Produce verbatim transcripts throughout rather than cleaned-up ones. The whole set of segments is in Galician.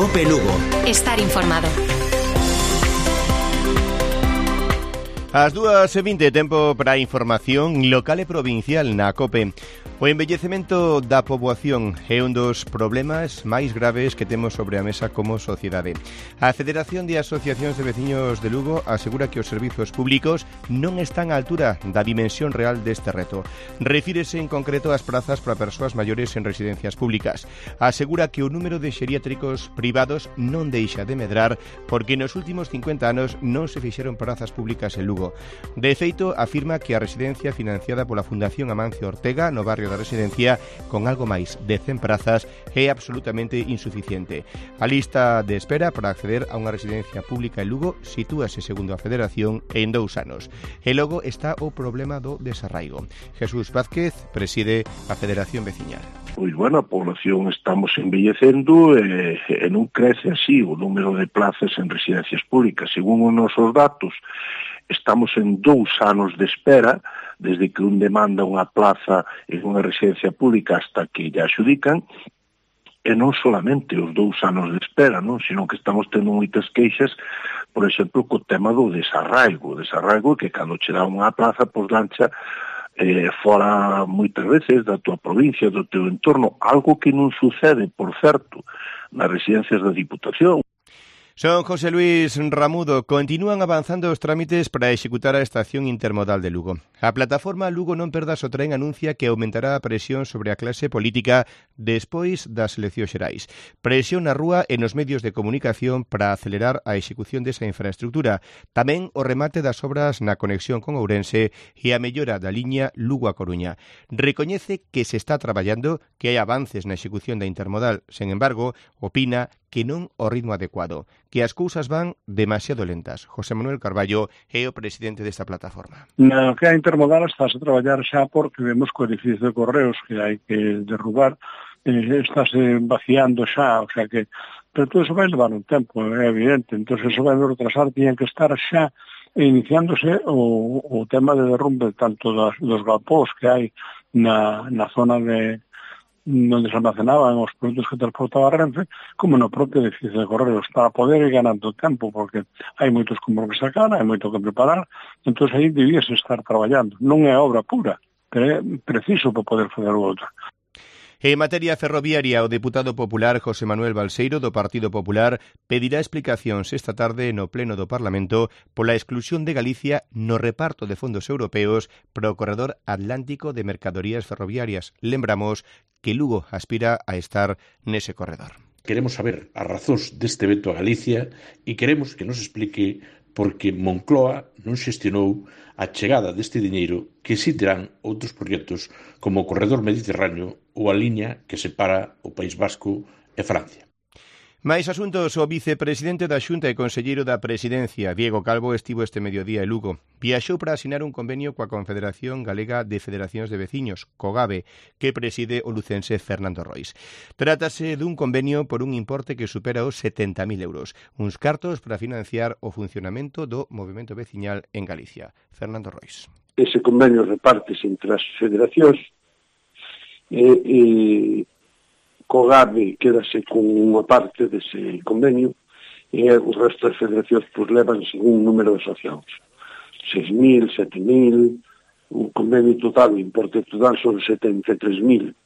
COPE Lugo. Estar informado. As dúas e vinte, tempo para a información local e provincial na COPE. O envellecemento da poboación é un dos problemas máis graves que temos sobre a mesa como sociedade. A Federación de Asociacións de Veciños de Lugo asegura que os servizos públicos non están á altura da dimensión real deste reto. Refírese en concreto ás prazas para persoas maiores en residencias públicas. Asegura que o número de xeriátricos privados non deixa de medrar porque nos últimos cincuenta anos non se fixeron prazas públicas en Lugo. De feito, afirma que a residencia financiada pola Fundación Amancio Ortega no barrio da Residencia, con algo máis de cen prazas, é absolutamente insuficiente. A lista de espera para acceder a unha residencia pública en Lugo sitúase, segundo a Federación, en dous anos. E logo está o problema do desarraigo. Jesús Vázquez preside a Federación Veciñal. Pois, bueno, a población estamos envellecendo e, e non crece así o número de plazas en residencias públicas. Según os nosos datos, estamos en dous anos de espera, desde que un demanda unha plaza en unha residencia pública hasta que lle adxudican, e non solamente os dous anos de espera, non? Sino que estamos tendo moitas queixas, por exemplo, co tema do desarraigo. O desarraigo que cando che dá unha plaza, pois lancha eh, fora moitas veces da tua provincia, do teu entorno, algo que non sucede, por certo, nas residencias da Diputación. Son José Luis Ramudo. Continúan avanzando os trámites para executar a estación intermodal de Lugo. A plataforma Lugo non perdas o tren anuncia que aumentará a presión sobre a clase política despois das eleccións xerais. Presión na rúa e nos medios de comunicación para acelerar a execución desa infraestructura. Tamén o remate das obras na conexión con Ourense e a mellora da liña Lugo a Coruña. Recoñece que se está traballando, que hai avances na execución da intermodal. Sen embargo, opina que non o ritmo adecuado, que as cousas van demasiado lentas. José Manuel Carballo é o presidente desta plataforma. Na que a intermodal estáse a traballar xa porque vemos que o edificio de correos que hai que derrubar eh, estáse vaciando xa, o sea que, pero todo eso vai levar un tempo, é evidente, entón eso vai retrasar, tiñan que estar xa iniciándose o, o tema de derrumbe tanto das, dos galpós que hai na, na zona de onde se almacenaban os produtos que transportaba Renfe, como no propio edificio de correos, para poder ir ganando tempo, porque hai moitos como que sacar, hai moito que preparar, entón aí debíase estar traballando. Non é obra pura, pero é preciso para poder fazer o outro. En materia ferroviaria, o deputado popular José Manuel Balseiro do Partido Popular pedirá explicacións esta tarde no Pleno do Parlamento pola exclusión de Galicia no reparto de fondos europeos para o corredor atlántico de mercadorías ferroviarias. Lembramos que Lugo aspira a estar nese corredor. Queremos saber as razóns deste veto a Galicia e queremos que nos explique por que Moncloa non xestionou a chegada deste diñeiro que si terán outros proxectos como o corredor mediterráneo ou a liña que separa o País Vasco e Francia. Mais asuntos, o vicepresidente da Xunta e conselleiro da Presidencia, Diego Calvo, estivo este mediodía en Lugo. Viaxou para asinar un convenio coa Confederación Galega de Federacións de Veciños, COGAVE, que preside o lucense Fernando Rois. Trátase dun convenio por un importe que supera os setenta mil euros, uns cartos para financiar o funcionamento do movimento veciñal en Galicia. Fernando Rois. Ese convenio repártese entre as federacións e... e... COGAVE quedase con unha parte dese convenio e o resto das federacións pues, levan según un número de asociados. seis mil, sete mil, un convenio total, o importe total son setenta e tres mil.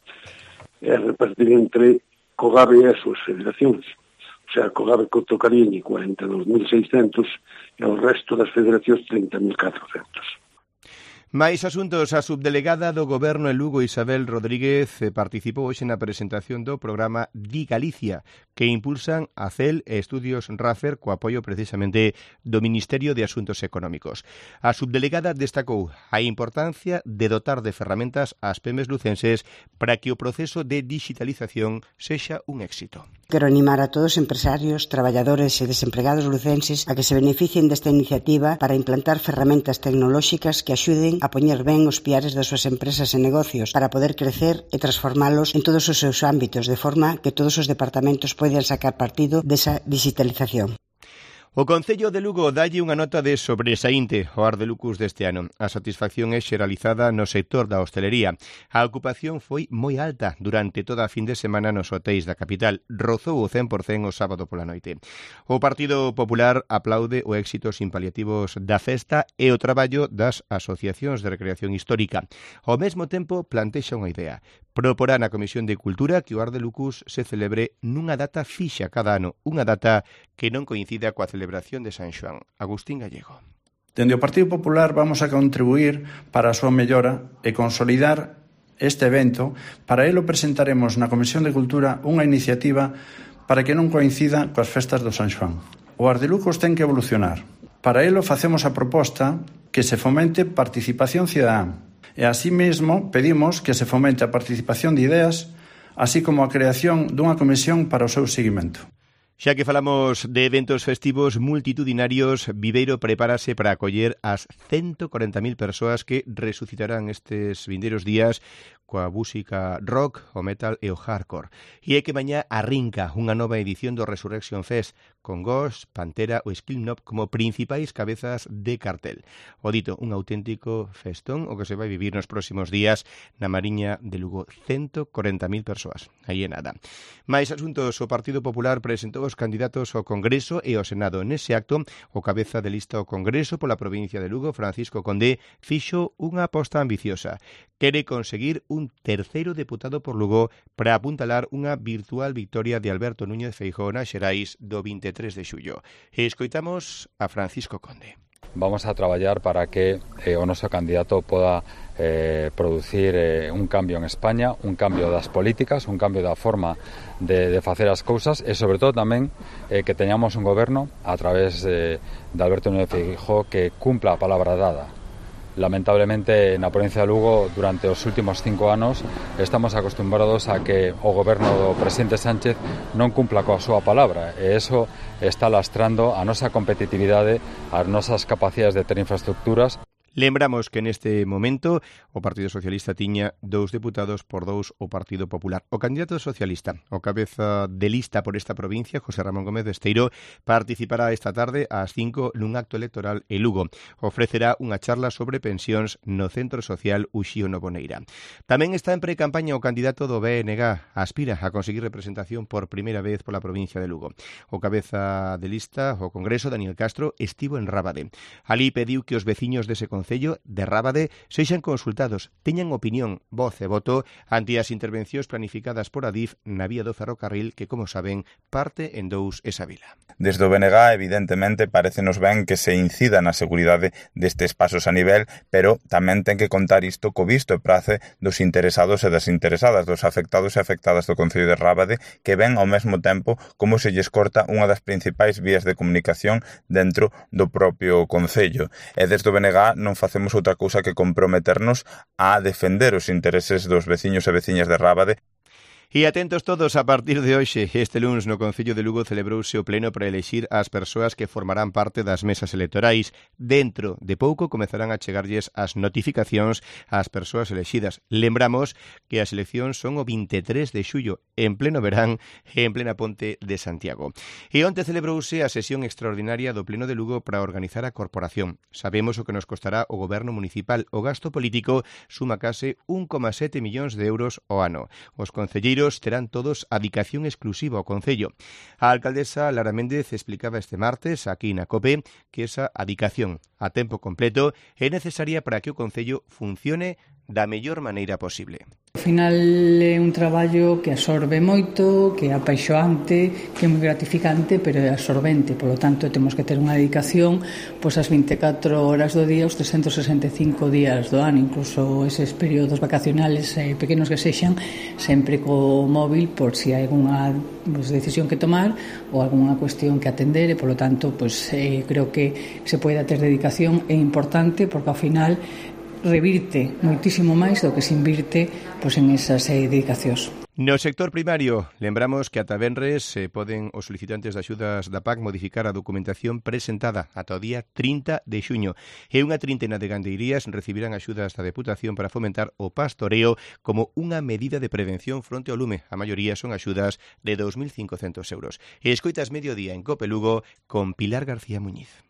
É repartir entre COGAVE e as súas federacións. O sea, COGAVE tocaría cuarenta e dous mil seiscentos e o resto das federacións trinta mil catrocentos. Mais asuntos, a subdelegada do Goberno en Lugo, Isabel Rodríguez, participou hoxe na presentación do programa Di Galicia, que impulsan a C E L e Estudios Rafer co apoio precisamente do Ministerio de Asuntos Económicos. A subdelegada destacou a importancia de dotar de ferramentas ás pemes lucenses para que o proceso de digitalización sexa un éxito. Quero animar a todos os empresarios, traballadores e desempregados lucenses a que se beneficien desta iniciativa para implantar ferramentas tecnolóxicas que axuden a poñer ben os piares das súas empresas e negocios para poder crecer e transformalos en todos os seus ámbitos, de forma que todos os departamentos poidan sacar partido desa digitalización. O Concello de Lugo dalle unha nota de sobresaínte ao Ardelucus deste ano. A satisfacción é xeralizada no sector da hostelería. A ocupación foi moi alta durante toda a fin de semana nos hotéis da capital. Rozou o cen por cen o sábado pola noite. O Partido Popular aplaude o éxito sin paliativos da festa e o traballo das asociacións de recreación histórica. Ao mesmo tempo plantexa unha idea. Proporá na Comisión de Cultura que o Ardelucus se celebre nunha data fixa cada ano, unha data que non coincida coa celebración de San Xoán. Agustín Gallego. Dende o Partido Popular vamos a contribuir para a súa mellora e consolidar este evento. Para elo presentaremos na Comisión de Cultura unha iniciativa para que non coincida coas festas do San Xoán. O Ardelucus ten que evolucionar. Para elo facemos a proposta que se fomente participación cidadá. E así mesmo pedimos que se fomente a participación de ideas, así como a creación dunha comisión para o seu seguimento. Xa que falamos de eventos festivos multitudinarios, Viveiro prepárase para acoller as ciento corenta mil persoas que resucitarán estes vindeiros días coa música rock, o metal e o hardcore. E é que mañá arrinca unha nova edición do Resurrection Fest con Ghost, Pantera ou Slipknot como principais cabezas de cartel. O dito, un auténtico festón o que se vai vivir nos próximos días na Mariña de Lugo. ciento corenta mil persoas. Aí é nada. Mais asuntos, o Partido Popular presentou os candidatos ao Congreso e ao Senado. Nese acto, o cabeza de lista ao Congreso pola provincia de Lugo, Francisco Condé, fixo unha aposta ambiciosa. Quere conseguir un terceiro deputado por Lugo para apuntalar unha virtual victoria de Alberto Núñez Feijóo nas Xerais do vinte e tres de xullo. E escoitamos a Francisco Conde. Vamos a traballar para que eh, o noso candidato poda eh, producir eh, un cambio en España, un cambio das políticas, un cambio da forma de, de facer as cousas e, sobre todo, tamén eh, que teñamos un goberno a través eh, de Alberto Núñez Feijóo que cumpla a palabra dada. Lamentablemente, na provincia de Lugo, durante os últimos cinco anos, estamos acostumbrados a que o goberno do presidente Sánchez non cumpla coa súa palabra, e iso está lastrando a nosa competitividade, as nosas capacidades de ter infraestructuras. Lembramos que neste momento o Partido Socialista tiña dous deputados por dous o Partido Popular. O candidato socialista, o cabeza de lista por esta provincia, José Ramón Gómez Besteiro, participará esta tarde ás cinco nun acto electoral en Lugo. Ofrecerá unha charla sobre pensións no Centro Social Uxío Novoneira. Tamén está en pre-campaña o candidato do B N G, aspira a conseguir representación por primeira vez pola provincia de Lugo. O cabeza de lista, o Congreso, Daniel Castro, estivo en Rábade. Alí pediu que os veciños dese concello de Rábade sexan consultados, teñan opinión, voz e voto ante as intervencións planificadas por Adif na vía do ferrocarril que, como saben, parte en dous esa vila. Desde o B N G, evidentemente, parecenos ben que se incida na seguridade destes pasos a nivel, pero tamén ten que contar isto co visto e prace dos interesados e das interesadas, dos afectados e afectadas do Concello de Rábade, que ven ao mesmo tempo como se lles corta unha das principais vías de comunicación dentro do propio Concello. E desde o B N G non facemos outra cousa que comprometernos a defender os intereses dos veciños e veciñas de Rábade. E atentos todos, a partir de hoxe, este luns no Concello de Lugo celebrouse o pleno para elexir as persoas que formarán parte das mesas electorais. Dentro de pouco comezarán a chegarlles as notificacións ás persoas elexidas. Lembramos que as eleccións son o vinte e tres de xullo, en pleno verán e en plena ponte de Santiago. E onte celebrouse a sesión extraordinaria do pleno de Lugo para organizar a corporación. Sabemos o que nos costará o goberno municipal. O gasto político suma case un coma sete millóns de euros ao ano. Os concelleiros terán todos a dedicación exclusiva ao Concello. A alcaldesa Lara Méndez explicaba este martes aquí na COPE que esa dedicación a tempo completo é necesaria para que o Concello funcione da mellor maneira posible. Ao final é un traballo que absorbe moito, que é apaixoante, que é moi gratificante, pero é absorbente. Por lo tanto, temos que ter unha dedicación pois as vinte e catro horas do día, os trescentos sesenta e cinco días do ano, incluso eses períodos vacacionales eh, pequenos que sexan, sempre co móvil por si hai algunha pues, decisión que tomar ou algunha cuestión que atender, e por lo tanto, pues, eh, creo que se poida ter dedicación é importante porque ao final revirte moitísimo máis do que se invirte pois, en esas eh, dedicacións. No sector primario, lembramos que ata venres eh, poden os solicitantes de axudas da P A C modificar a documentación presentada ata o día trinta de xuño. E unha trintena de gandeirías recibirán axudas da Deputación para fomentar o pastoreo como unha medida de prevención fronte ao lume. A maioría son axudas de dous mil cincocentos euros. E escoitas Mediodía en Cope Lugo con Pilar García Muñiz.